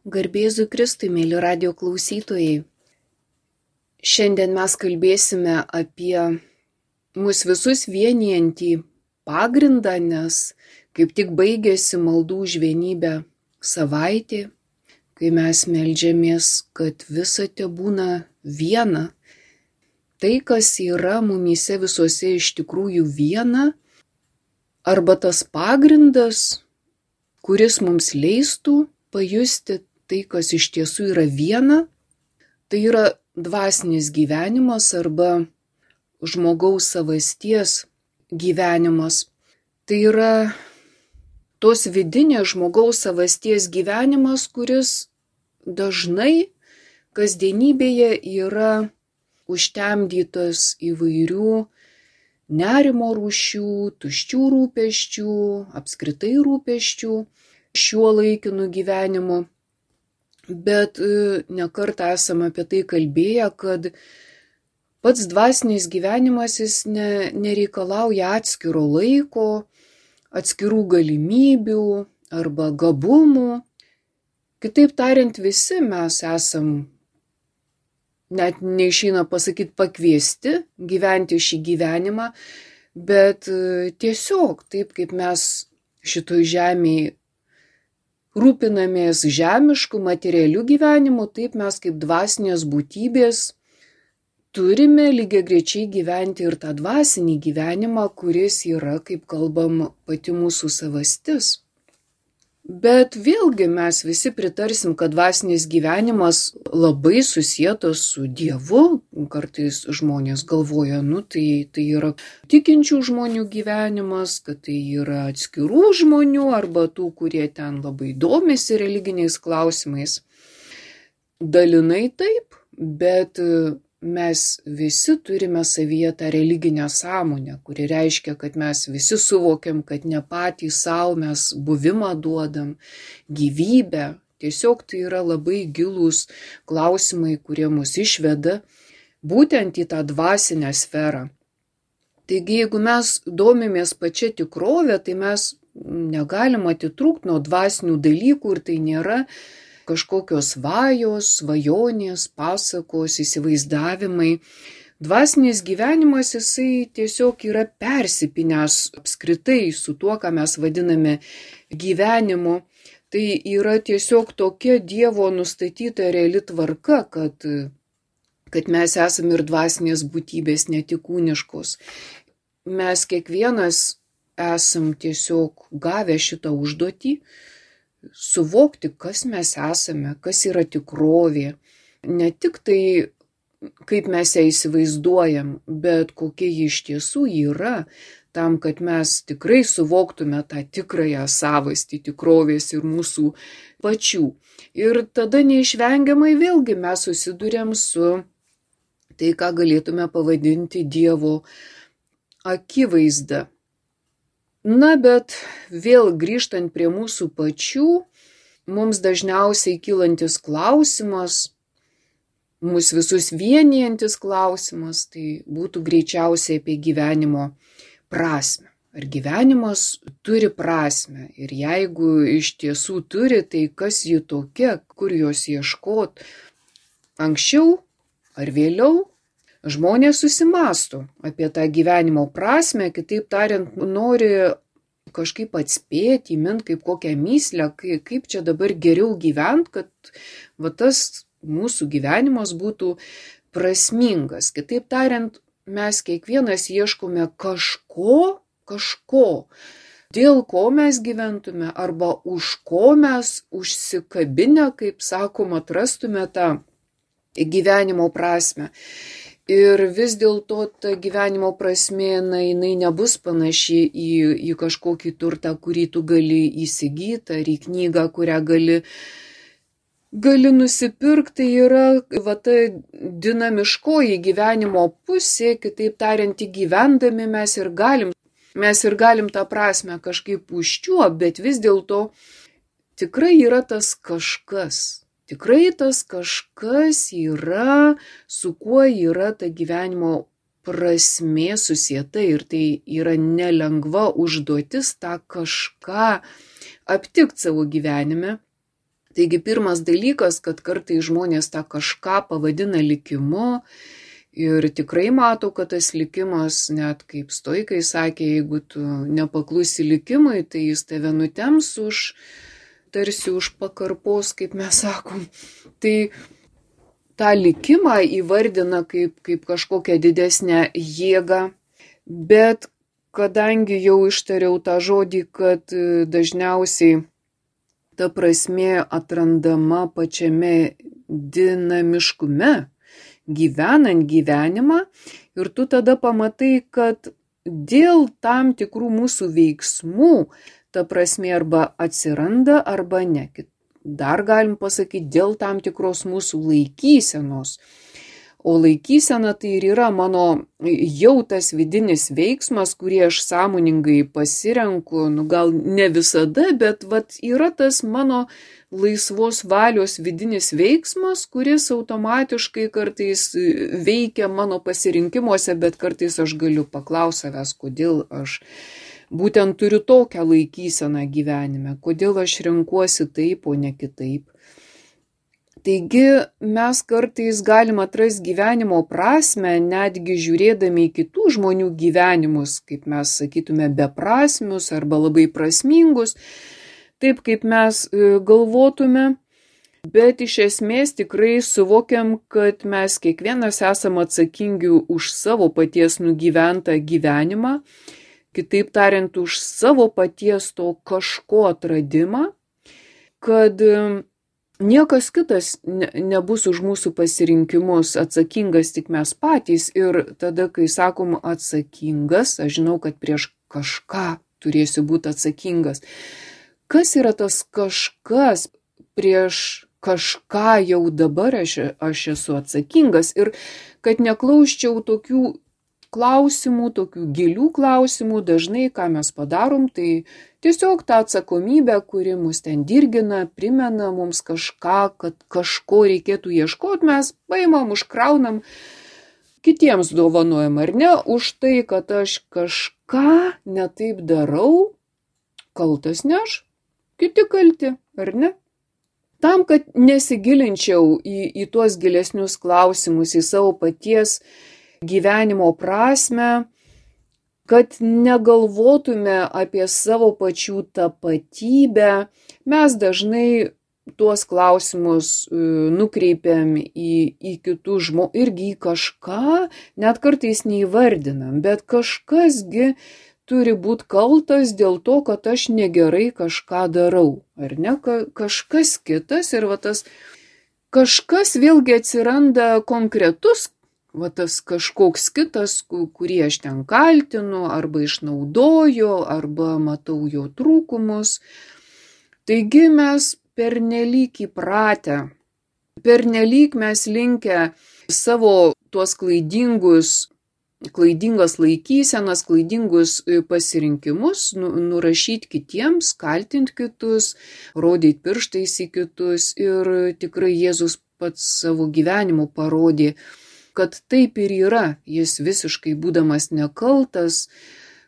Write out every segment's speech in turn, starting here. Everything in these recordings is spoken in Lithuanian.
Garbėzui Kristui, mėly radio klausytojai. Šiandien mes kalbėsime apie mus visus vienijantį pagrindą, nes kaip tik baigėsi maldų už vienybę savaitė, kai mes meldžiamės, kad visa tebūna viena. Tai, kas yra mumyse visuose iš tikrųjų viena, arba tas pagrindas, kuris mums leistų pajusti tai, kas iš tiesų yra viena, tai yra dvasinis gyvenimas arba žmogaus savasties gyvenimas. Tai yra tos vidinės žmogaus savasties gyvenimas, kuris dažnai kasdienybėje yra užtemdytas įvairių nerimo rūšių, tuščių rūpesčių, apskritai rūpesčių šiuo laikinu gyvenimu. Bet nekartą esame apie tai kalbėję, kad pats dvasinis gyvenimas jis nereikalauja atskiro laiko, atskirų galimybių arba gabumų. Kitaip tariant, visi mes esam, net neišeina pasakyti, pakviesti gyventi šį gyvenimą, bet tiesiog taip kaip mes šitoj žemėje rūpinamės žemiškų, materialių gyvenimų, taip mes kaip dvasinės būtybės turime lygiagrečiai gyventi ir tą dvasinį gyvenimą, kuris yra, kaip kalbam, pati mūsų savastis. Bet vėlgi mes visi pritarsim, kad dvasinis gyvenimas labai susietas su Dievu. Kartais žmonės galvoja, tai yra tikinčių žmonių gyvenimas, kad tai yra atskirų žmonių arba tų, kurie ten labai domisi religiniais klausimais. Dalinai taip, bet mes visi turime savyje tą religinę sąmonę, kuri reiškia, kad mes visi suvokiam, kad ne patys savo mes buvimą duodam, gyvybę. Tiesiog tai yra labai gilūs klausimai, kurie mus išveda būtent į tą dvasinę sferą. Taigi, jeigu mes domimės pačia tikrove, tai mes negalim atitrūkti nuo dvasinių dalykų ir tai nėra kažkokios svajos, svajonės, pasakos, įsivaizdavimai. Dvasinis gyvenimas jisai tiesiog yra persipinęs apskritai su tuo, ką mes vadiname gyvenimu. Tai yra tiesiog tokia Dievo nustatyta reali tvarka, kad mes esame ir dvasinės būtybės, ne tik kūniškos. Mes kiekvienas esam tiesiog gavę šitą užduotį, suvokti, kas mes esame, kas yra tikrovė. Ne tik tai, kaip mes ją įsivaizduojam, bet kokia ji iš tiesų yra, tam, kad mes tikrai suvoktume tą tikrąją savastį tikrovės ir mūsų pačių. Ir tada neišvengiamai vėlgi mes susiduriam su tai, ką galėtume pavadinti Dievo akivaizda. Na, bet vėl grįžtant prie mūsų pačių, mums dažniausiai kylantis klausimas, mus visus vienijantis klausimas, tai būtų greičiausiai apie gyvenimo prasmę. Ar gyvenimas turi prasmę? Ir jeigu iš tiesų turi, tai kas ji tokia, kur jos ieškot? Anksčiau ar vėliau? Žmonės susimąsto apie tą gyvenimo prasmę, kitaip tariant, nori kažkaip atspėti, įmint kaip kokią mįslę, kaip čia dabar geriau gyventi, kad tas mūsų gyvenimas būtų prasmingas. Kitaip tariant, mes kiekvienas ieškome kažko, dėl ko mes gyventume arba už ko mes užsikabinę, kaip sakom, atrastume tą gyvenimo prasmę. Ir vis dėlto ta gyvenimo prasmė, jinai nebus panaši į kažkokį turtą, kurį tu gali įsigyti, ar į knygą, kurią gali nusipirkti. Tai yra ta dinamiškoji gyvenimo pusė, kitaip tariant, gyvendami mes ir galim tą prasmę kažkaip užčiuopti, bet vis dėlto tikrai yra tas kažkas. Tikrai tas kažkas yra, su kuo yra ta gyvenimo prasmė susieta ir tai yra nelengva užduotis tą kažką aptikti savo gyvenime. Taigi pirmas dalykas, kad kartais žmonės tą kažką pavadina likimu ir tikrai mato, kad tas likimas, net kaip stoikai sakė, jeigu tu nepaklusi likimui, tai jis tave nutems tarsi už pakarpos, kaip mes sakom. Tai tą likimą įvardina kaip kažkokią didesnę jėgą, bet kadangi jau ištariau tą žodį, kad dažniausiai ta prasmė atrandama pačiame dinamiškume, gyvenant gyvenimą, ir tu tada pamatai, kad dėl tam tikrų mūsų veiksmų ta prasmė arba atsiranda, arba ne. Dar galim pasakyti, dėl tam tikros mūsų laikysenos. O laikysena tai ir yra mano jau tas vidinis veiksmas, kurį aš sąmoningai pasirenku, gal ne visada, bet yra tas mano laisvos valios vidinis veiksmas, kuris automatiškai kartais veikia mano pasirinkimuose, bet kartais aš galiu paklausti savęs, kodėl aš būtent turiu tokią laikyseną gyvenime, kodėl aš renkuosi taip, o ne kitaip. Taigi mes kartais galim atrasti gyvenimo prasmę, netgi žiūrėdami į kitų žmonių gyvenimus, kaip mes sakytume, beprasmius arba labai prasmingus, taip kaip mes galvotume, bet iš esmės tikrai suvokiam, kad mes kiekvienas esam atsakingi už savo paties nugyventą gyvenimą, kitaip tariant, už savo paties to kažko atradimą, kad niekas kitas nebus už mūsų pasirinkimus atsakingas, tik mes patys. Ir tada, kai sakom atsakingas, aš žinau, kad prieš kažką turėsiu būti atsakingas. Kas yra tas kažkas? Prieš kažką jau dabar aš esu atsakingas. Ir kad neklausčiau tokių klausimų, tokių gilių klausimų, dažnai ką mes padarom, tai tiesiog tą atsakomybę, kuri mus ten dirgina, primena mums kažką, kad kažko reikėtų ieškoti, mes paimam, užkraunam, kitiems dovanojam, ar ne, už tai, kad aš kažką netaip darau, kaltas ne aš, kiti kalti, ar ne? Tam, kad nesigilinčiau į tuos gilesnius klausimus, į savo paties gyvenimo prasmę, kad negalvotume apie savo pačių tapatybę, mes dažnai tuos klausimus nukreipiam į kitus žmonės, irgi į kažką, net kartais neįvardinam, bet kažkasgi turi būti kaltas dėl to, kad aš negerai kažką darau, ar ne, kažkas kitas ir tas kažkas vėlgi atsiranda konkretus, tas kažkoks kitas, kurį aš ten kaltinu, arba išnaudoju, arba matau jo trūkumus. Taigi mes pernelyg įpratę, pernelyg mes linkę savo tuos klaidingas laikysenas, klaidingus pasirinkimus nurašyti kitiems, kaltinti kitus, rodyti pirštais į kitus. Ir tikrai Jėzus pats savo gyvenimu parodė, kad taip ir yra, jis visiškai būdamas nekaltas,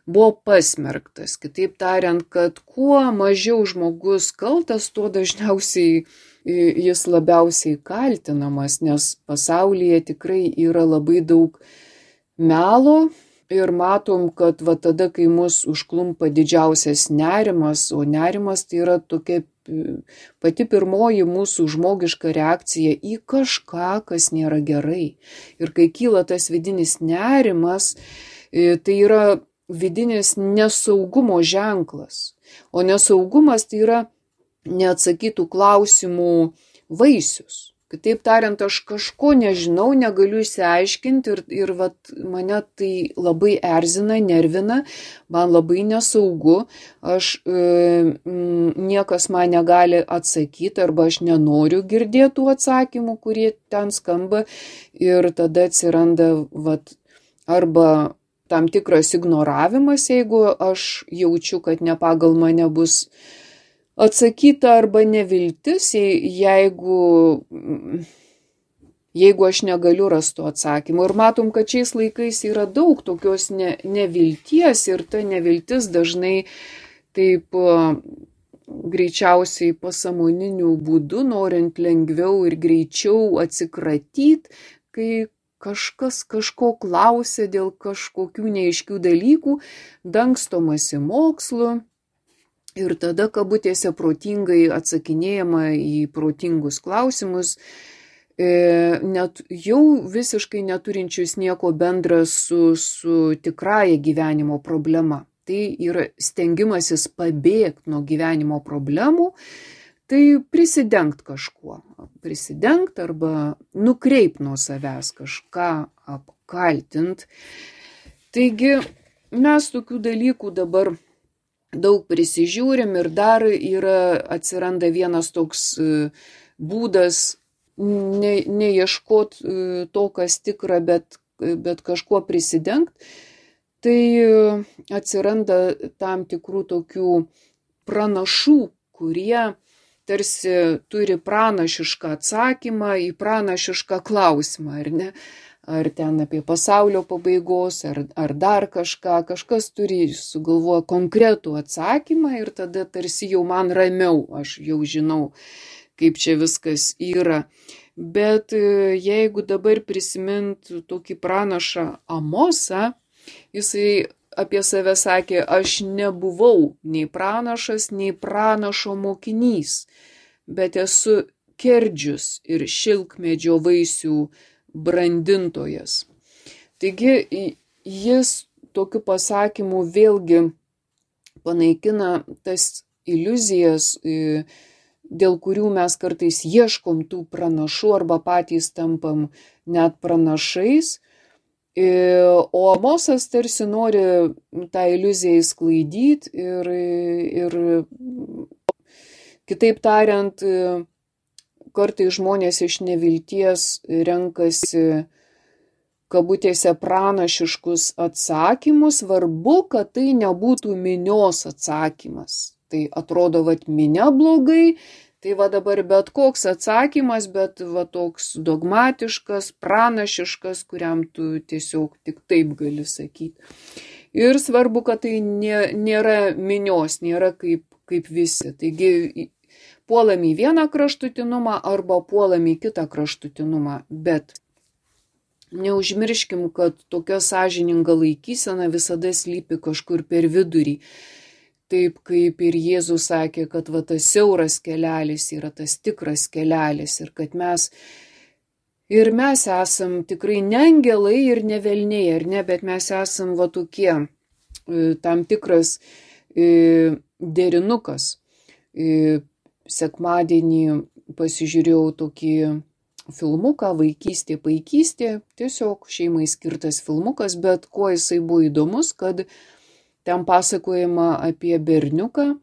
buvo pasmerktas. Kitaip tariant, kad kuo mažiau žmogus kaltas, tuo dažniausiai jis labiausiai kaltinamas, nes pasaulyje tikrai yra labai daug melo ir matom, kad tada, kai mus užklumpa didžiausias nerimas, o nerimas tai yra tokia pati pirmoji mūsų žmogiška reakcija į kažką, kas nėra gerai. Ir kai kyla tas vidinis nerimas, tai yra vidinis nesaugumo ženklas. O nesaugumas tai yra neatsakytų klausimų vaisius. Kitaip tariant, aš kažko nežinau, negaliu išsiaiškinti ir mane tai labai erzina, nervina, man labai nesaugu, niekas man negali atsakyti arba aš nenoriu girdėti tų atsakymų, kurie ten skamba ir tada atsiranda arba tam tikras ignoravimas, jeigu aš jaučiu, kad ne pagal mane bus atsakyta arba neviltis, jeigu aš negaliu rasti atsakymų. Ir matom, kad šiais laikais yra daug tokios nevilties ir ta neviltis dažnai taip greičiausiai pasąmoniniu būdu, norint lengviau ir greičiau atsikratyti, kai kažkas kažko klausia dėl kažkokių neaiškių dalykų, dangstomasi mokslu ir tada kabutėse protingai atsakinėjama į protingus klausimus, net jau visiškai neturinčius nieko bendra su tikrąja gyvenimo problema. Tai yra stengimasis pabėgti nuo gyvenimo problemų, tai prisidengt kažkuo. Prisidengt arba nukreipt nuo savęs kažką, apkaltint. Taigi mes tokių dalykų dabar daug prisižiūrim ir dar atsiranda vienas toks būdas neieškot to, kas tikra, bet kažkuo prisidengt. Tai atsiranda tam tikrų tokių pranašų, kurie tarsi turi pranašišką atsakymą į pranašišką klausimą, ar ne? Ar ten apie pasaulio pabaigos, ar dar kažką. Kažkas turi sugalvoję konkretų atsakymą ir tada tarsi jau man ramiau, aš jau žinau, kaip čia viskas yra. Bet jeigu dabar prisimint tokį pranašą Amosą, jisai apie save sakė, aš nebuvau nei pranašas, nei pranašo mokinys, bet esu kerdžius ir šilkmedžio vaisių brandintojas. Taigi jis tokiu pasakymu vėlgi panaikina tas iliuzijas, dėl kurių mes kartais ieškom tų pranašų arba patys tampam net pranašais. O Amosas tarsi nori tą iliuziją išsklaidyti ir kitaip tariant, kartais žmonės iš nevilties renkasi kabutėse pranašiškus atsakymus, svarbu, kad tai nebūtų minios atsakymas. Tai atrodo, minia blogai, tai dabar bet koks atsakymas, bet toks dogmatiškas, pranašiškas, kuriam tu tiesiog tik taip gali sakyti. Ir svarbu, kad tai nėra minios, nėra kaip visi. Taigi puolam į vieną kraštutinumą arba puolam į kitą kraštutinumą, bet neužmirškim, kad tokia sąžininga laikysena visada slypi kažkur per vidurį. Taip kaip ir Jėzus sakė, kad tas siauras kelelis yra tas tikras kelelis ir kad mes esam tikrai ne angelai ir ne velniai, ar ne, bet mes esam tokie tam tikras derinukas. Sekmadienį pasižiūrėjau tokį filmuką, vaikystė, paikystė, tiesiog šeimai skirtas filmukas, bet kuo jisai buvo įdomus, kad ten pasakojama apie berniuką.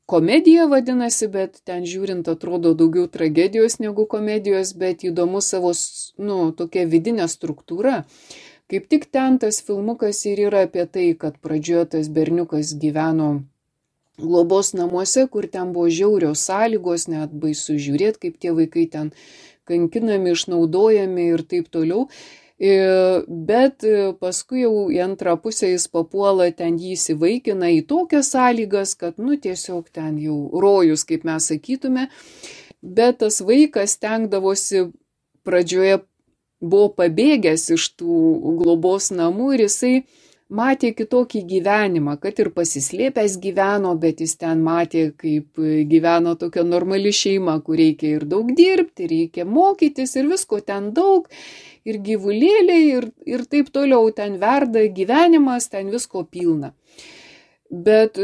Komedija vadinasi, bet ten žiūrint atrodo daugiau tragedijos negu komedijos, bet įdomu savo, tokia vidinė struktūra. Kaip tik ten tas filmukas ir yra apie tai, kad pradžioje tas berniukas gyveno globos namuose, kur ten buvo žiaurios sąlygos, net baisu žiūrėti, kaip tie vaikai ten kankinami, išnaudojami ir taip toliau. Bet paskui jau į antrą pusę jis papuola, ten jį įsivaikina į tokias sąlygas, kad tiesiog ten jau rojus, kaip mes sakytume. Bet tas vaikas stengdavosi, pradžioje buvo pabėgęs iš tų globos namų ir jisai matė kitokį gyvenimą, kad ir pasislėpęs gyveno, bet jis ten matė, kaip gyveno tokia normali šeima, kur reikia ir daug dirbti, reikia mokytis ir visko ten daug, ir gyvulėliai, ir taip toliau ten verda gyvenimas, ten visko pilna. Bet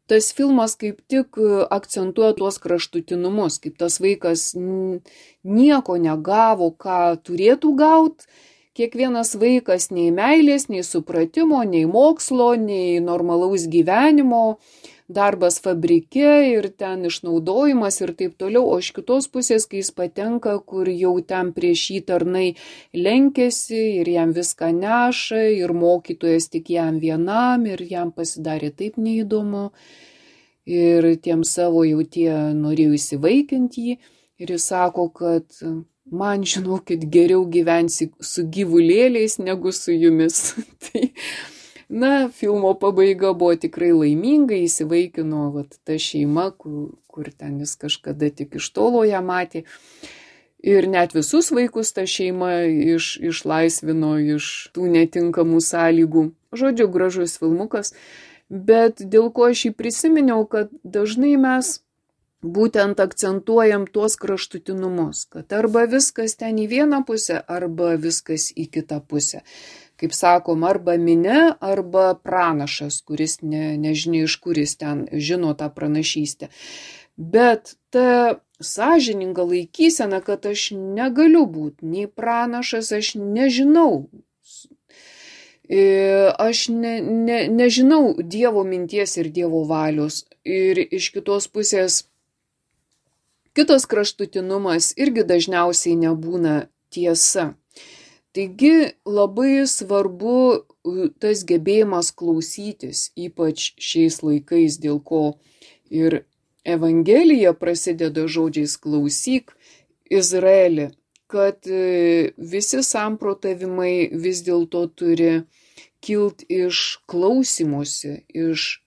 tas filmas kaip tik akcentuoja tuos kraštutinumus, kaip tas vaikas nieko negavo, ką turėtų gauti. Kiekvienas vaikas nei meilės, nei supratimo, nei mokslo, nei normalaus gyvenimo, darbas fabrike ir ten išnaudojimas ir taip toliau. O iš kitos pusės, kai jis patenka, kur jau ten prieš jį tarnai lenkėsi ir jam viską neša ir mokytojas tik jam vienam ir jam pasidarė taip neįdomu. Ir tiem savo jau tie norėjo įsivaikinti jį ir jis sako, kad man, žinokit, geriau gyvensi su gyvulėliais negu su jumis. Na, filmo pabaiga buvo tikrai laiminga, įsivaikino ta šeima, kur ten jis kažkada tik iš tolo ją matė. Ir net visus vaikus ta šeima išlaisvino iš tų netinkamų sąlygų. Žodžiu, gražus filmukas. Bet dėl ko aš jį prisiminiau, kad dažnai mes būtent akcentuojam tuos kraštutinumus, kad arba viskas ten į vieną pusę, arba viskas į kitą pusę. Kaip sakom, arba minia, arba pranašas, kuris nežinia iš kur jis ten žino tą pranašystę. Bet ta sąžininga laikysena, kad aš negaliu būti nei pranašas, aš nežinau. Aš nežinau Dievo minties ir Dievo valios. Ir iš kitos pusės, kitas kraštutinumas irgi dažniausiai nebūna tiesa. Taigi labai svarbu tas gebėjimas klausytis, ypač šiais laikais, dėl ko ir Evangelija prasideda žodžiais klausyk Izraeli, kad visi samprotavimai vis dėlto turi kilt iš klausymosi, iš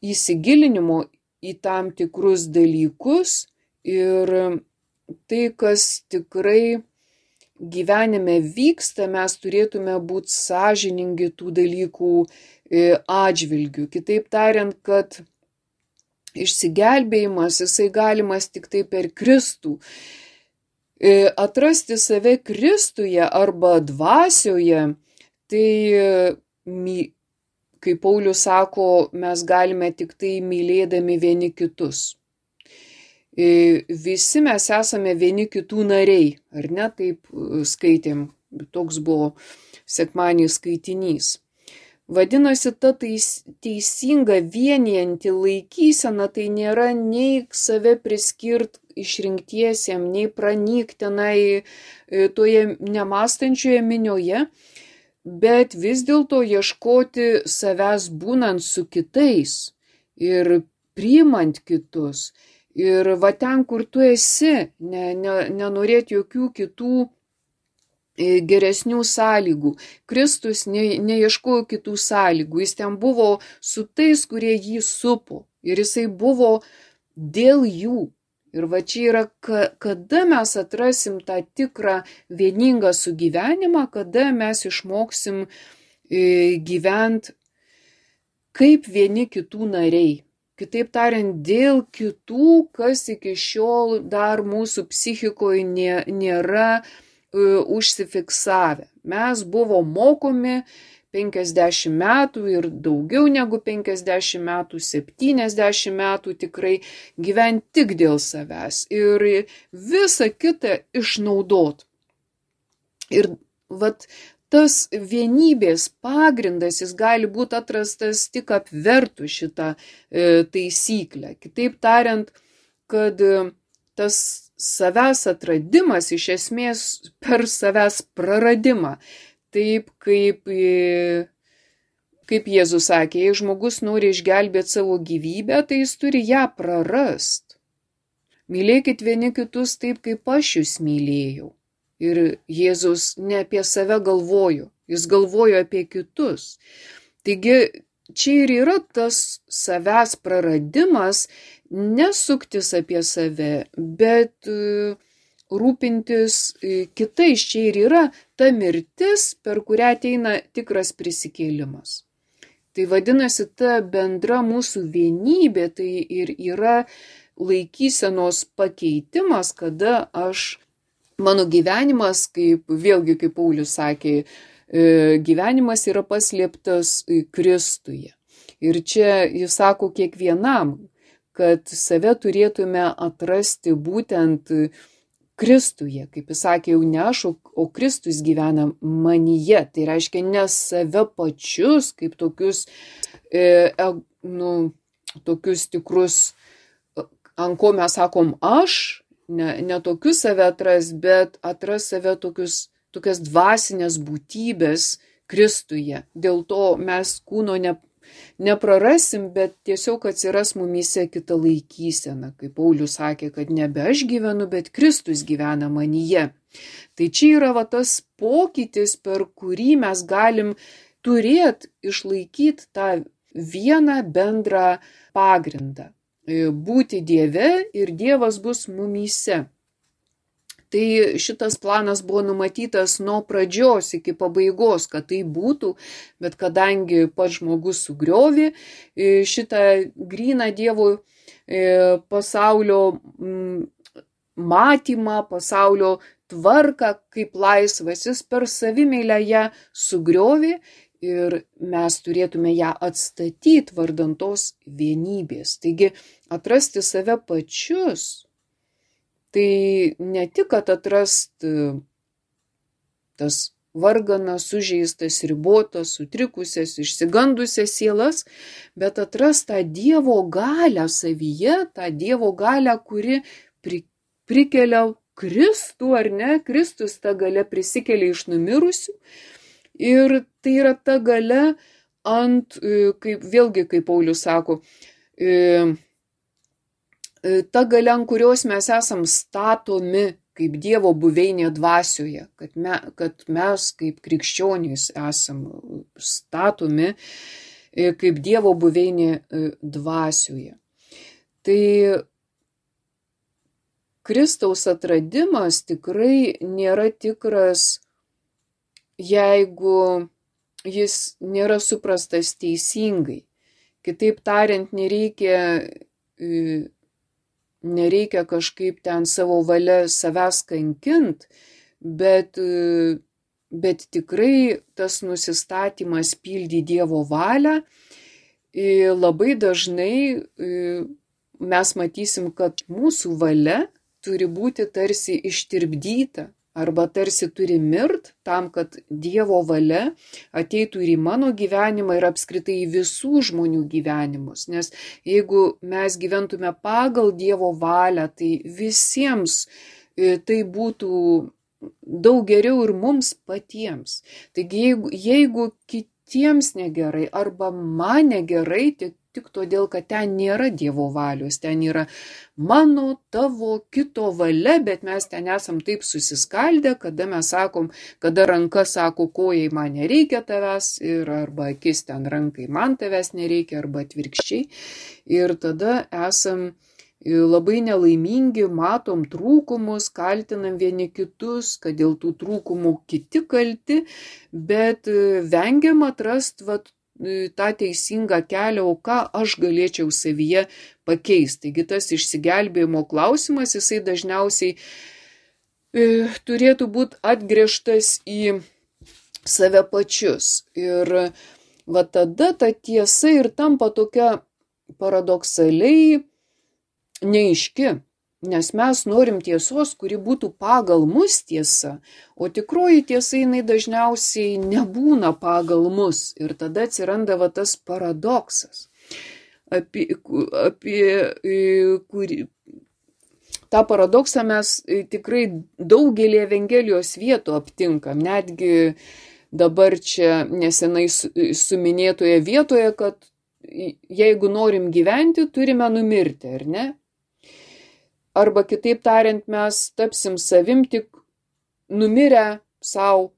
įsigilinimo į tam tikrus dalykus ir tai, kas tikrai gyvenime vyksta, mes turėtume būti sąžiningi tų dalykų atžvilgių. Kitaip tariant, kad išsigelbėjimas, jisai galimas tik tai per Kristų. Atrasti save Kristuje arba dvasioje, tai, kaip Paulius sako, mes galime tik tai mylėdami vieni kitus. Visi mes esame vieni kitų nariai, ar ne, taip skaitėm, toks buvo sekmadienio skaitinys. Vadinasi, ta teisinga vienijanti laikysena, tai nėra nei save priskirt išrinktiesiem, nei pranykt tenai toje nemąstančioje minioje, bet vis dėlto ieškoti savęs būnant su kitais ir priimant kitus. Ir va ten, kur tu esi, nenorėti jokių kitų geresnių sąlygų. Kristus neieškojo kitų sąlygų, jis ten buvo su tais, kurie jį supo. Ir jisai buvo dėl jų. Ir va čia yra, kada mes atrasim tą tikrą vieningą sugyvenimą, kada mes išmoksim gyventi kaip vieni kitų nariai. Kitaip tariant, dėl kitų, kas iki šiol dar mūsų psichikoje nėra užsifiksavę. Mes buvo mokomi 50 metų ir daugiau negu 50 metų, 70 metų tikrai gyventi tik dėl savęs ir visą kitą išnaudot. Ir vat tas vienybės pagrindas, jis gali būti atrastas tik apvertus šitą taisyklę. Kitaip tariant, kad tas savęs atradimas iš esmės per savęs praradimą. Taip kaip Jėzus sakė, jei žmogus nori išgelbėti savo gyvybę, tai jis turi ją prarast. Mylėkit vieni kitus taip, kaip aš jūs mylėjau. Ir Jėzus ne apie save galvojo, jis galvojo apie kitus. Taigi čia ir yra tas savęs praradimas, nesuktis apie save, bet rūpintis kitais. Čia ir yra ta mirtis, per kurią ateina tikras prisikėlimas. Tai vadinasi, ta bendra mūsų vienybė, tai ir yra laikysenos pakeitimas, kada mano gyvenimas, kaip Paulius sakė, gyvenimas yra paslėptas Kristuje. Ir čia jis sako kiekvienam, kad save turėtume atrasti būtent Kristuje. Kaip jis sakė, jau ne aš, o Kristus gyvena manyje. Tai reiškia ne save pačius, kaip tokius tikrus, ant ko mes sakom aš, ne tokius save atras, bet atras save tokias dvasinės būtybės Kristuje. Dėl to mes kūno neprarasim, bet tiesiog atsiras mumyse kita laikysena. Kaip Paulius sakė, kad nebe aš gyvenu, bet Kristus gyvena manyje. Tai čia yra tas pokytis, per kurį mes galim turėt išlaikyti tą vieną bendrą pagrindą. Būti Dieve ir Dievas bus mumyse. Tai šitas planas buvo numatytas nuo pradžios iki pabaigos, kad tai būtų, bet kadangi pats žmogus sugriovė šitą gryną Dievo pasaulio matymą, pasaulio tvarką kaip laisvas, jis per savimeilę ją sugriovė ir mes turėtume ją atstatyti vardan tos vienybės. Taigi atrasti save pačius, tai ne tik, kad atrast tas varganas, sužeistas, ribotas, sutrikusias, išsigandusias sielas, bet atrast tą Dievo galią savyje, tą Dievo galią, kuri prikelia Kristų, ar ne? Kristus ta galia prisikelia iš numirusių. Ir tai yra ta galia kaip Paulius sako, ta galia, ant kurios mes esam statomi kaip Dievo buveinė dvasioje, kad mes kaip krikščionys esam statomi kaip Dievo buveinė dvasioje. Tai Kristaus atradimas tikrai nėra tikras, jeigu jis nėra suprastas teisingai. Kitaip tariant, nereikia kažkaip ten savo valia savęs kankint, bet tikrai tas nusistatymas pildy Dievo valią. Labai dažnai mes matysim, kad mūsų valia turi būti tarsi ištirpdyta arba tarsi turi mirt tam, kad Dievo valia ateitų ir į mano gyvenimą ir apskritai į visų žmonių gyvenimus. Nes jeigu mes gyventume pagal Dievo valią, tai visiems tai būtų daug geriau ir mums patiems. Taigi jeigu kitiems negerai arba man negerai, tik todėl, kad ten nėra Dievo valios, ten yra mano, tavo, kito valia, bet mes ten esam taip susiskaldę, kada mes sakom, kada ranka sako, kojai man nereikia tavęs, ir arba akis ten rankai man tavęs nereikia, arba atvirkščiai. Ir tada esam labai nelaimingi, matom trūkumus, kaltinam vieni kitus, kad dėl tų trūkumų kiti kalti, bet vengiam atrast tą teisingą kelią, o ką aš galėčiau savyje pakeisti. Taigi tas išsigelbėjimo klausimas, jisai dažniausiai turėtų būti atgręžtas į save pačius. Ir tada ta tiesa ir tampa tokia paradoksaliai neaiški. Nes mes norim tiesos, kuri būtų pagal mus tiesa, o tikroji tiesa jinai dažniausiai nebūna pagal mus. Ir tada atsiranda tas paradoksas, apie kurį tą paradoksą mes tikrai daugelį Evangelijos vietų aptinkam. Netgi dabar čia nesenai suminėtoje vietoje, kad jeigu norim gyventi, turime numirti, ar ne? Arba kitaip tariant, mes tapsim savim tik numirę savo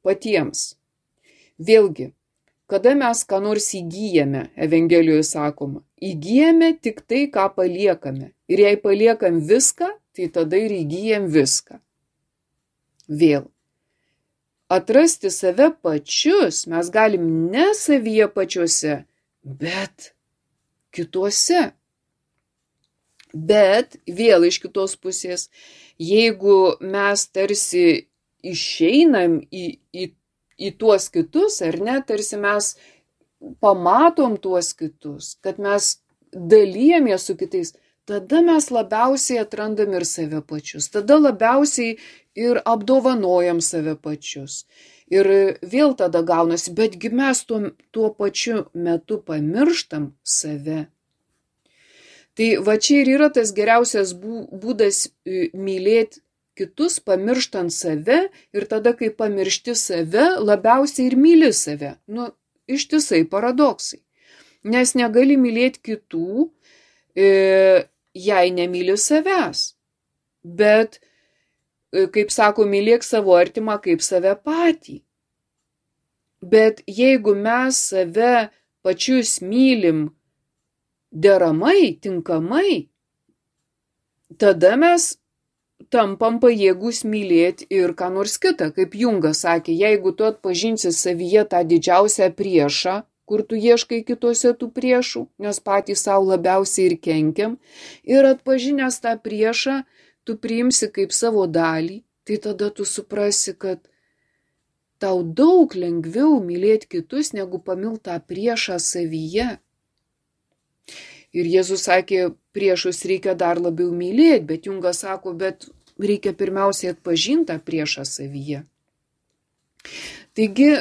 patiems. Vėlgi, kada mes ką nors įgyjame, Evangelijoje sakoma, įgyjame tik tai, ką paliekame. Ir jei paliekam viską, tai tada ir įgyjam viską. Vėl. Atrasti save pačius mes galim ne savyje pačiuose, bet kituose. Bet vėl iš kitos pusės, jeigu mes tarsi išeinam į tuos kitus, ar ne, tarsi mes pamatom tuos kitus, kad mes dalyjamės su kitais, tada mes labiausiai atrandam ir save pačius, tada labiausiai ir apdovanojam save pačius. Ir vėl tada gaunasi, betgi mes tuo pačiu metu pamirštam save. Tai čia ir yra tas geriausias būdas mylėti kitus, pamirštant save, ir tada, kai pamiršti save, labiausiai ir myli save. Ištisai paradoksai. Nes negali mylėti kitų, jei nemyli savęs. Bet, kaip sako, mylėk savo artimą kaip save patį. Bet jeigu mes save pačius mylim deramai, tinkamai, tada mes tampam pajėgus mylėti ir ką nors kitą. Kaip Jungas sakė, jeigu tu atpažinsi savyje tą didžiausią priešą, kur tu ieškai kitose tų priešų, nes patys savo labiausiai ir kenkiam, ir atpažinęs tą priešą, tu priimsi kaip savo dalį, tai tada tu suprasi, kad tau daug lengviau mylėti kitus, negu pamilt tą priešą savyje. Ir Jėzus sakė, priešus reikia dar labiau mylėti, bet Jungas sako, bet reikia pirmiausiai atpažinti tą priešą savyje. Taigi,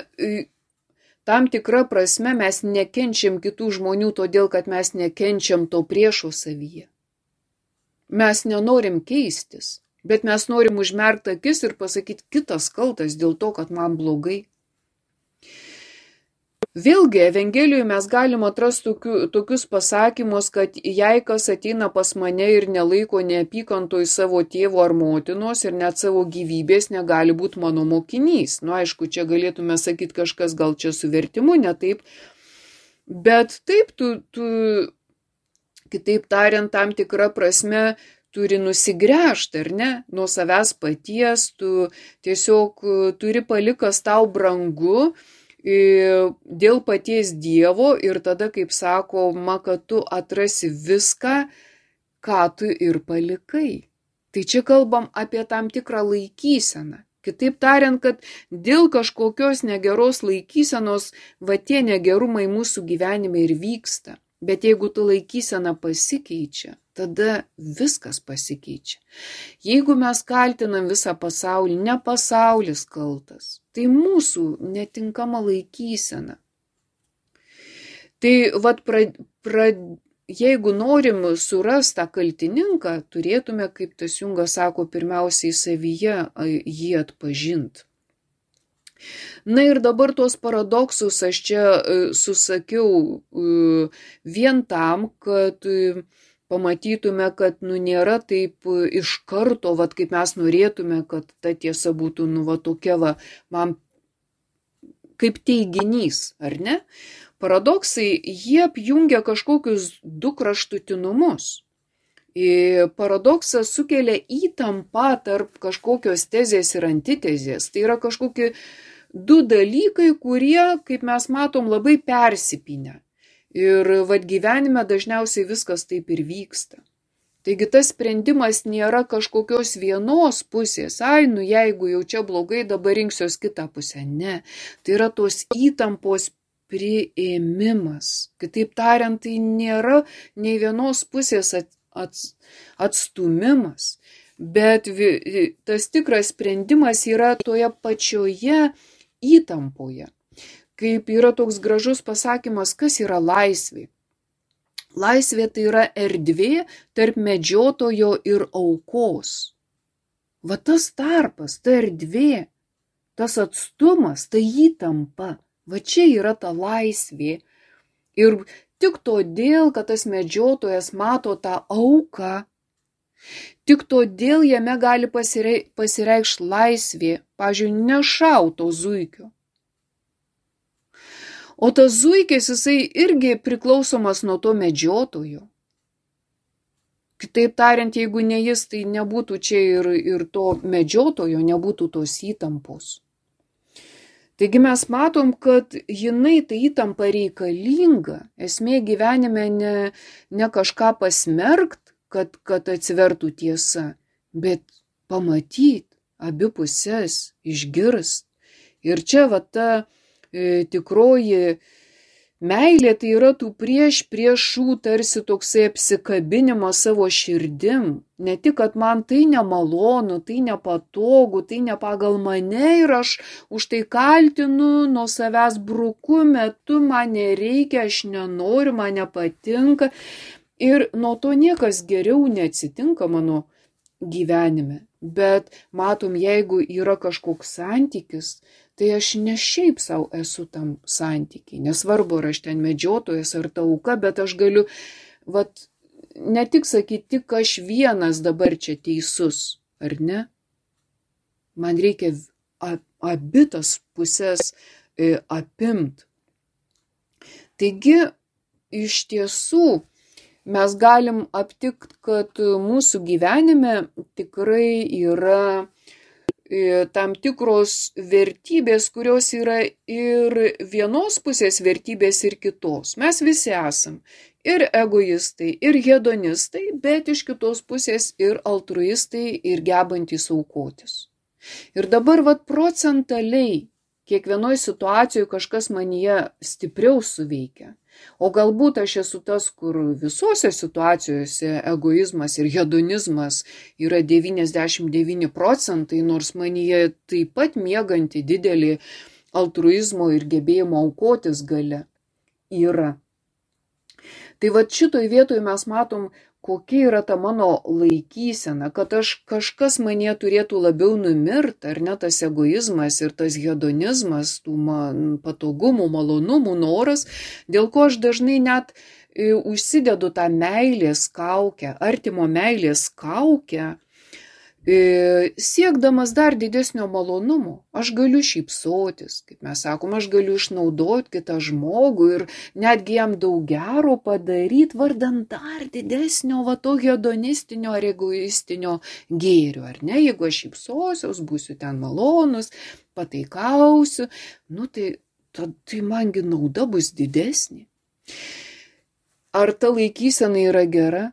tam tikra prasme mes nekenčiam kitų žmonių todėl, kad mes nekenčiam to priešo savyje. Mes nenorim keistis, bet mes norim užmerkti akis ir pasakyti, kitas kaltas dėl to, kad man blogai. Vėlgi, Evangelijoje mes galim atrasti tokius pasakymus, kad jei kas ateina pas mane ir nelaiko neapykantoj savo tėvo ar motinos ir net savo gyvybės, negali būti mano mokinys. Nu, aišku, čia galėtume sakyti kažkas gal čia su vertimu, ne taip. Bet taip, tu kitaip tariant, tam tikrą prasme turi nusigręžti, ar ne, nuo savęs paties, tu tiesiog turi palikas tau brangu, dėl paties Dievo ir tada, kaip sakoma, kad tu atrasi viską, ką tu ir palikai. Tai čia kalbam apie tam tikrą laikyseną. Kitaip tariant, kad dėl kažkokios negeros laikysenos, va tie negerumai mūsų gyvenime ir vyksta. Bet jeigu tu laikysena pasikeičia, tada viskas pasikeičia. Jeigu mes kaltinam visą pasaulį, ne pasaulis kaltas, tai mūsų netinkama laikysena. Tai vat jeigu norim surasti tą kaltininką, turėtume, kaip tas Jungas sako, pirmiausiai savyje jį atpažinti. Na ir dabar tuos paradoksus aš čia susakiau vien tam, kad pamatytume, kad nėra taip iš karto, kaip mes norėtume, kad ta tiesa būtų tokia man kaip teiginys, ar ne? Paradoksai, jie apjungia kažkokius du kraštutinumus. Paradoksas sukelia įtampą tarp kažkokios tezės ir antitezės. Tai yra kažkokie du dalykai, kurie, kaip mes matom, labai persipynę. Ir gyvenime dažniausiai viskas taip ir vyksta. Taigi tas sprendimas nėra kažkokios vienos pusės. Jeigu jau čia blogai, dabar rinksiuos kitą pusę. Ne. Tai yra tos įtampos priėmimas. Kitaip tariant, tai nėra nei vienos pusės atstumimas. Bet tas tikras sprendimas yra toje pačioje įtampoje. Kaip yra toks gražus pasakymas, kas yra laisvė. Laisvė tai yra erdvė tarp medžiotojo ir aukos. Va tas tarpas, ta erdvė, tas atstumas, ta įtampa, va čia yra ta laisvė. Ir tik todėl, kad tas medžiotojas mato tą auką, tik todėl jame gali pasireikšti laisvė, pavyzdžiui, nešauto zuikio. O tas zuikis, jisai irgi priklausomas nuo to medžiotojo. Kitaip tariant, jeigu ne jis, tai nebūtų čia ir to medžiotojo, nebūtų tos įtampos. Taigi mes matom, kad jinai ta įtampa reikalinga. Esmė gyvenime ne kažką pasmerkt, kad atsivertų tiesa, bet pamatyti abi pusės, išgirst. Ir čia ta tikroji meilė, tai yra tų priešų tarsi toksai apsikabinimas savo širdim. Ne tik, kad man tai nemalonu, tai nepatogu, tai ne pagal mane ir aš už tai kaltinu, nuo savęs bruku, metu man nereikia, aš nenoriu, man nepatinka. Ir nuo to niekas geriau neatsitinka mano gyvenime. Bet matom, jeigu yra kažkoks santykis, tai aš ne šiaip savo esu tam santykiai. Nesvarbu, ar aš ten medžiotojas ar ta auka, bet aš galiu, ne tik sakyti, tik aš vienas dabar čia teisus, ar ne? Man reikia abi tas pusės apimt. Taigi, iš tiesų, mes galim aptikti, kad mūsų gyvenime tikrai yra tam tikros vertybės, kurios yra ir vienos pusės vertybės ir kitos. Mes visi esam ir egoistai, ir hedonistai, bet iš kitos pusės ir altruistai, ir gebantys aukotis. Ir dabar procentaliai kiekvienoje situacijoje kažkas manyje stipriau suveikia. O galbūt aš esu tas, kur visose situacijose egoizmas ir hedonizmas yra 99%, nors manyje taip pat mieganti didelį altruizmo ir gebėjimo aukotis galia yra. Tai šitoj vietoje mes matom, kokia yra ta mano laikysena, kad kažkas manyje turėtų labiau numirt, ar ne, tas egoizmas ir tas hedonizmas, tų patogumų, malonumų, noras, dėl ko aš dažnai net užsidedu tą meilės kaukę, artimo meilės kaukę, siekdamas dar didesnio malonumo. Aš galiu šypsotis, kaip mes sakom, aš galiu išnaudoti kitą žmogų ir netgi jam daug gero padaryti vardan dar didesnio to hedonistinio ar egoistinio gėrio, ar ne? Jeigu aš šypsosiuos, būsiu ten malonus, pataikausiu, tai mangi nauda bus didesnė. Ar ta laikysena yra gera?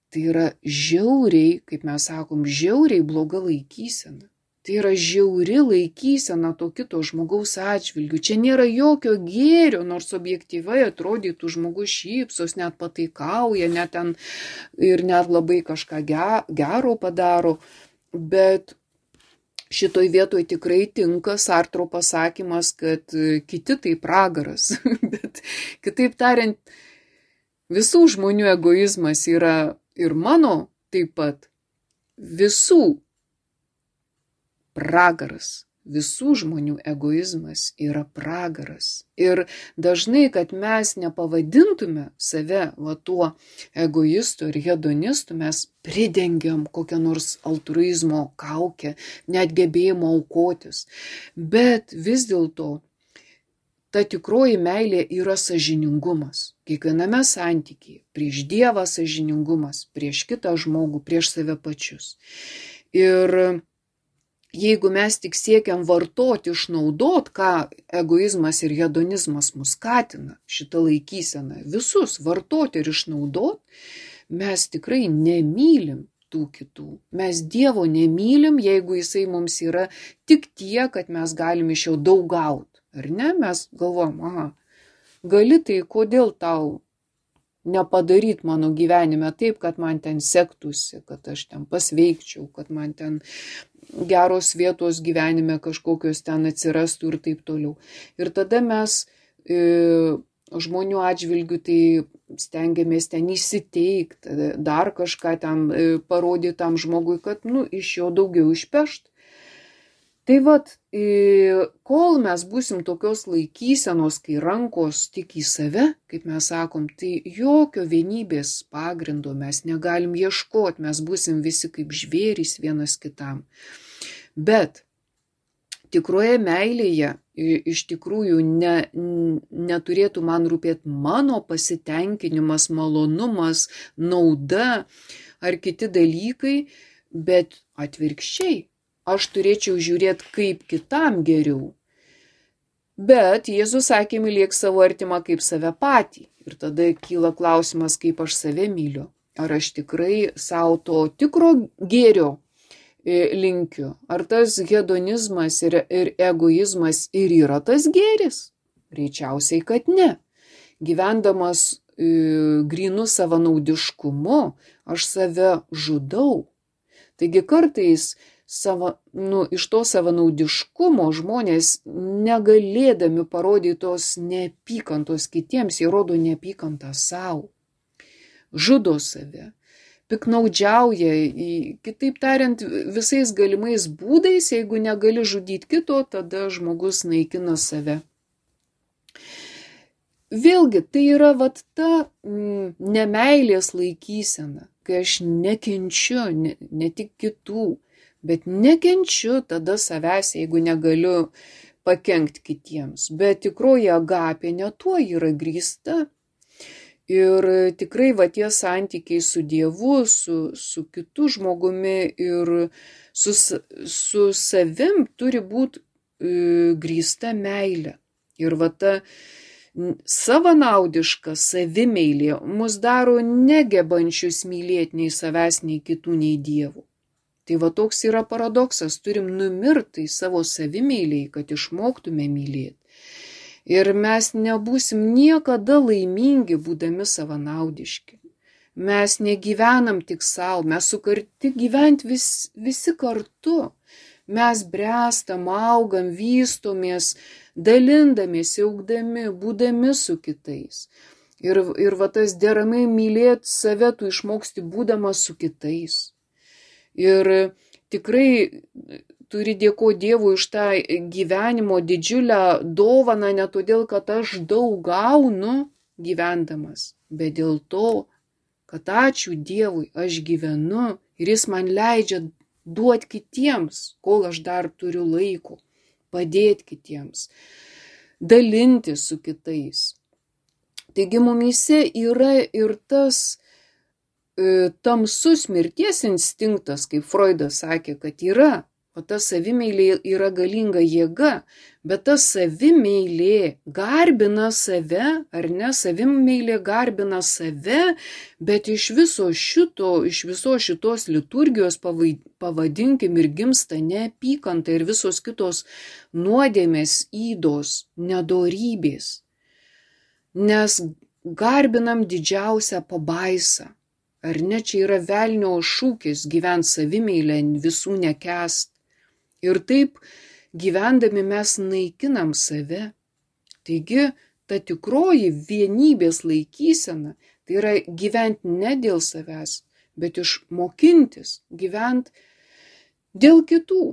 Tai yra žiauriai, kaip mes sakom, žiauriai bloga laikysena. Tai yra žiauri laikysena to kito žmogaus atžvilgių. Čia nėra jokio gėrio, nors objektyvai atrodytų žmogus šypsos, net pataikauja, ir net labai kažką gero padaro. Bet šitoj vietoj tikrai tinka Sartro pasakymas, kad kiti tai pragaras. Bet kitaip tariant, visų žmonių egoizmas yra ir mano taip pat visų pragaras. Visų žmonių egoizmas yra pragaras. Ir dažnai, kad mes nepavadintume save tuo egoistu ir hedonistu, mes pridengiam kokią nors altruizmo kaukę, net gebėjimo aukotis. Bet vis dėlto ta tikroji meilė yra sąžiningumas. Kiekviename santykyje, prieš Dievą sąžiningumas, prieš kitą žmogų, prieš save pačius. Ir jeigu mes tik siekiam vartoti, išnaudot, ką egoizmas ir hedonizmas mus skatina, šitą laikyseną, visus vartoti ir išnaudot, mes tikrai nemylim tų kitų. Mes Dievo nemylim, jeigu jisai mums yra tik tiek, kad mes galim iš jo daug gauti. Ar ne? Mes galvojam, gali, tai kodėl tau nepadaryt mano gyvenime taip, kad man ten sektųsi, kad aš ten pasveikčiau, kad man ten geros vietos gyvenime kažkokios ten atsirastų ir taip toliau. Ir tada mes žmonių atžvilgių tai stengiamės ten įsiteikti, dar kažką ten parodyti tam žmogui, kad iš jo daugiau išpešt. Tai kol mes būsim tokios laikysenos, kai rankos tik į save, kaip mes sakom, tai jokio vienybės pagrindo mes negalim ieškoti, mes būsim visi kaip žvėrys vienas kitam. Bet tikroje meilėje iš tikrųjų neturėtų man rūpėti mano pasitenkinimas, malonumas, nauda ar kiti dalykai, bet atvirkščiai. Aš turėčiau žiūrėti, kaip kitam geriau. Bet Jėzus sakė, mylėk savo artimą kaip save patį. Ir tada kyla klausimas, kaip aš save myliu. Ar aš tikrai savo to tikro gėrio linkiu? Ar tas hedonizmas ir egoizmas ir yra tas gėris? Greičiausiai, kad ne. Gyvendamas grynų savanaudiškumu, aš save žudau. Taigi kartais iš to savanaudiškumo žmonės negalėdami parodyti tos neapykantos kitiems, jie rodo neapykantą savo, žudo save, piknaudžiauja, kitaip tariant, visais galimais būdais, jeigu negali žudyti kito, tada žmogus naikina save. Vėlgi, tai yra ta nemeilės laikysena, kai aš nekenčiu ne tik kitų, bet nekenčiu tada savęs, jeigu negaliu pakenkti kitiems, bet tikroji agapė ne tuo yra grįsta. Ir tikrai tie santykiai su Dievu, su kitu žmogumi ir su savim turi būti grįsta meilė. Ir ta savanaudiška savimeilė mus daro negebančius mylėti nei savęs, nei kitų, nei Dievų. Tai toks yra paradoksas, turim numirti savo savimeiliai, kad išmoktume mylėti. Ir mes nebūsim niekada laimingi, būdami savanaudiški. Mes negyvenam tik savo, mes sukarti gyventi visi kartu. Mes bręstam, augam, vystomės, dalindamiesi, augdami, būdami su kitais. Ir tas deramai mylėti save tu išmoksti būdamas su kitais. Ir tikrai turi dėkoti Dievui už tą gyvenimo didžiulę dovaną, ne todėl, kad aš daug gaunu gyvendamas, bet dėl to, kad ačiū Dievui, aš gyvenu ir Jis man leidžia duoti kitiems, kol aš dar turiu laiko, padėti kitiems, dalinti su kitais. Taigi mumyse yra ir tas tamsus mirties instinktas, kaip Freudas sakė, kad yra. O ta savimeilė yra galinga jėga, bet ta savimeilė garbina save, ar ne, savimeilė garbina save, bet iš visos šitos liturgijos pavadinkim ir gimsta neapykanta ir visos kitos nuodėmės, ydos, nedorybės. Nes garbinam didžiausią pabaisą, ar ne, čia yra velnio šūkis gyventi savimeilę, visų nekęst. Ir taip gyvendami mes naikinam save. Taigi, ta tikroji vienybės laikysena, tai yra gyventi ne dėl savęs, bet išmokintis gyventi dėl kitų.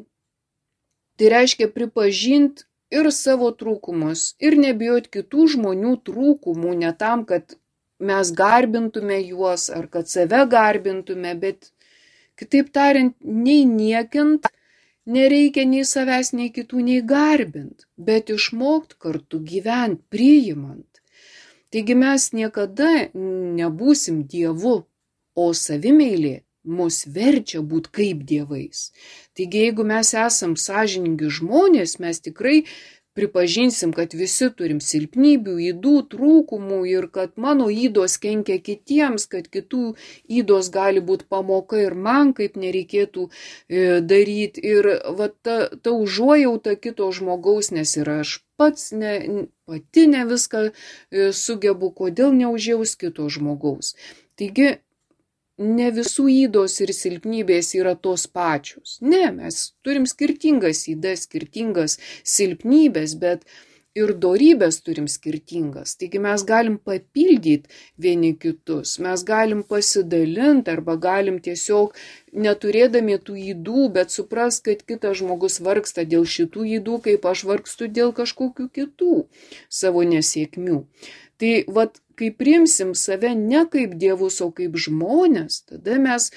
Tai reiškia pripažinti ir savo trūkumus, ir nebijoti kitų žmonių trūkumų, ne tam, kad mes garbintume juos, ar kad save garbintume, bet, kitaip tariant, nei niekint, nereikia nei savęs, nei kitų, nei garbint, bet išmokt kartu gyventi, priimant. Taigi mes niekada nebūsim Dievu, o savimeilė mus verčia būti kaip dievais. Taigi jeigu mes esam sąžiningi žmonės, mes tikrai pripažinsim, kad visi turim silpnybių, ydų, trūkumų ir kad mano ydos kenkia kitiems, kad kitų ydos gali būti pamoka ir man, kaip nereikėtų daryti. Ir ta užuojauta kito žmogaus, nes ir aš pati ne viską sugebu, kodėl neužjaus kito žmogaus. Taigi, ne visų ydos ir silpnybės yra tos pačios. Ne, mes turim skirtingas ydas, skirtingas silpnybės, bet ir dorybės turim skirtingas. Taigi mes galim papildyti vieni kitus, mes galim pasidalinti arba galim tiesiog neturėdami tų ydų, bet supras, kad kitas žmogus vargsta dėl šitų ydų, kaip aš vargstu dėl kažkokių kitų savo nesėkmių. Tai kai priimsim save ne kaip dievus, o kaip žmonės, tada mes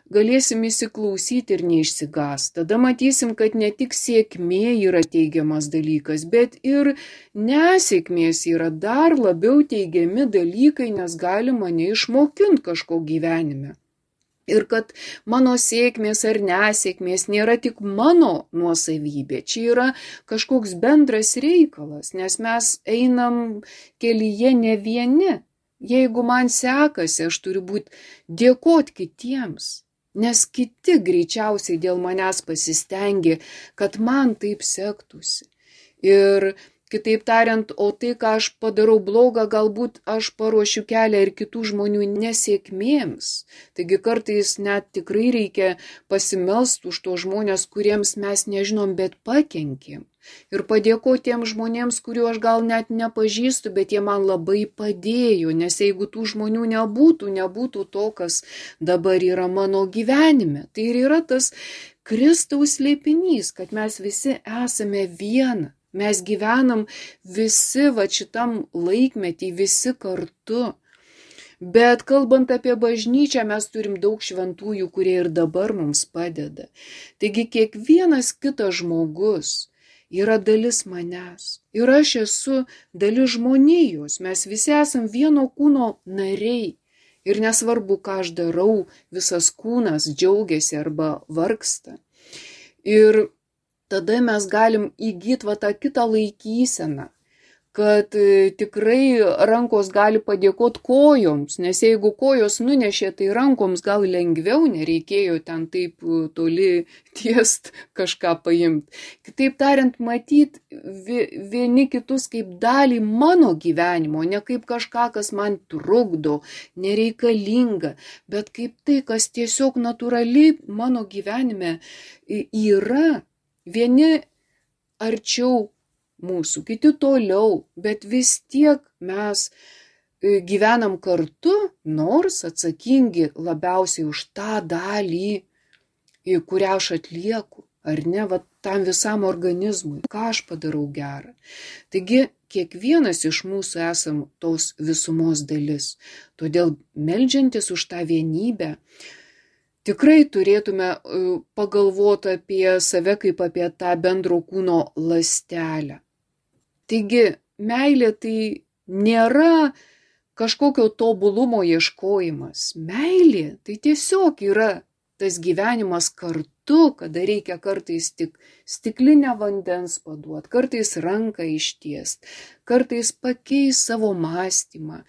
galėsim įsiklausyti ir neišsigąsti. Tada matysim, kad ne tik sėkmė yra teigiamas dalykas, bet ir nesėkmės yra dar labiau teigiami dalykai, nes gali mane išmokinti kažko gyvenime. Ir kad mano sėkmės ar nesėkmės nėra tik mano nuosavybė, čia yra kažkoks bendras reikalas, nes mes einam kelyje ne vieni. Jeigu man sekasi, aš turiu būti dėkoti kitiems, nes kiti greičiausiai dėl manęs pasistengė, kad man taip sektųsi. Ir kitaip tariant, o tai, ką aš padarau blogą, galbūt aš paruošiu kelią ir kitų žmonių nesėkmėms. Taigi kartais net tikrai reikia pasimelsti už tos žmonės, kuriems mes nežinom, bet pakenkėm. Ir padėkoti tiems žmonėms, kuriuo aš gal net nepažįstu, bet jie man labai padėjo, nes jeigu tų žmonių nebūtų to, kas dabar yra mano gyvenime. Tai ir yra tas Kristaus slėpinys, kad mes visi esame viena. Mes gyvenam visi šitam laikmetį, visi kartu. Bet kalbant apie bažnyčią, mes turim daug šventųjų, kurie ir dabar mums padeda. Taigi kiekvienas kitas žmogus yra dalis manęs. Ir aš esu dalis žmonijos. Mes visi esam vieno kūno nariai. Ir nesvarbu, ką aš darau, visas kūnas džiaugiasi arba vargsta. Ir tada mes galim įgyti tą kitą laikyseną, kad tikrai rankos gali padėkoti kojoms, nes jeigu kojos nunešė, tai rankoms gal lengviau, nereikėjo ten taip toli tiest kažką paimti. Kitaip tariant, matyti vieni kitus kaip dalį mano gyvenimo, ne kaip kažką, kas man trukdo, nereikalinga, bet kaip tai, kas tiesiog natūraliai mano gyvenime yra. Vieni arčiau mūsų, kiti toliau, bet vis tiek mes gyvenam kartu, nors atsakingi labiausiai už tą dalį, kurią aš atlieku, ar ne, tam visam organizmui, ką aš padarau gerą. Taigi, kiekvienas iš mūsų esam tos visumos dalis, todėl meldžiantis už tą vienybę, tikrai turėtume pagalvoti apie save kaip apie tą bendro kūno ląstelę. Taigi, meilė tai nėra kažkokio tobulumo ieškojimas. Meilė tai tiesiog yra tas gyvenimas kartu, kada reikia kartais tik stiklinę vandens paduoti, kartais ranką ištiest, kartais pakeist savo mąstymą.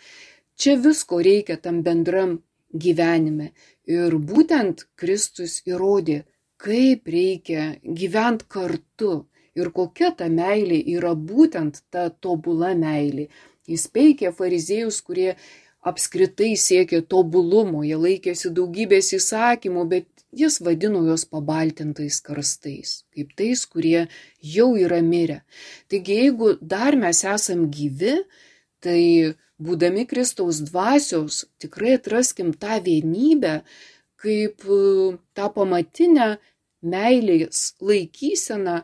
Čia visko reikia tam bendram gyvenime. Ir būtent Kristus įrodė, kaip reikia gyventi kartu ir kokia ta meilė yra būtent ta tobula meilė. Jis peikė fariziejus, kurie apskritai siekė tobulumo, jie laikėsi daugybės įsakymų, bet jis vadino juos pabaltintais karstais, kaip tais, kurie jau yra mirę. Taigi, jeigu dar mes esam gyvi, tai būdami Kristaus dvasios, tikrai atraskim tą vienybę kaip tą pamatinę meilės laikyseną,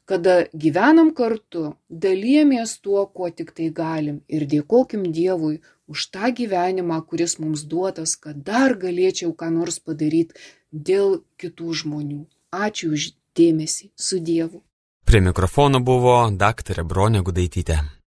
kada gyvenam kartu, dalijamės tuo, kuo tik tai galim ir dėkokim Dievui už tą gyvenimą, kuris mums duotas, kad dar galėčiau ką nors padaryti dėl kitų žmonių. Ačiū už dėmesį, su Dievu. Prie mikrofono buvo daktarė Bronė Gudaitytė.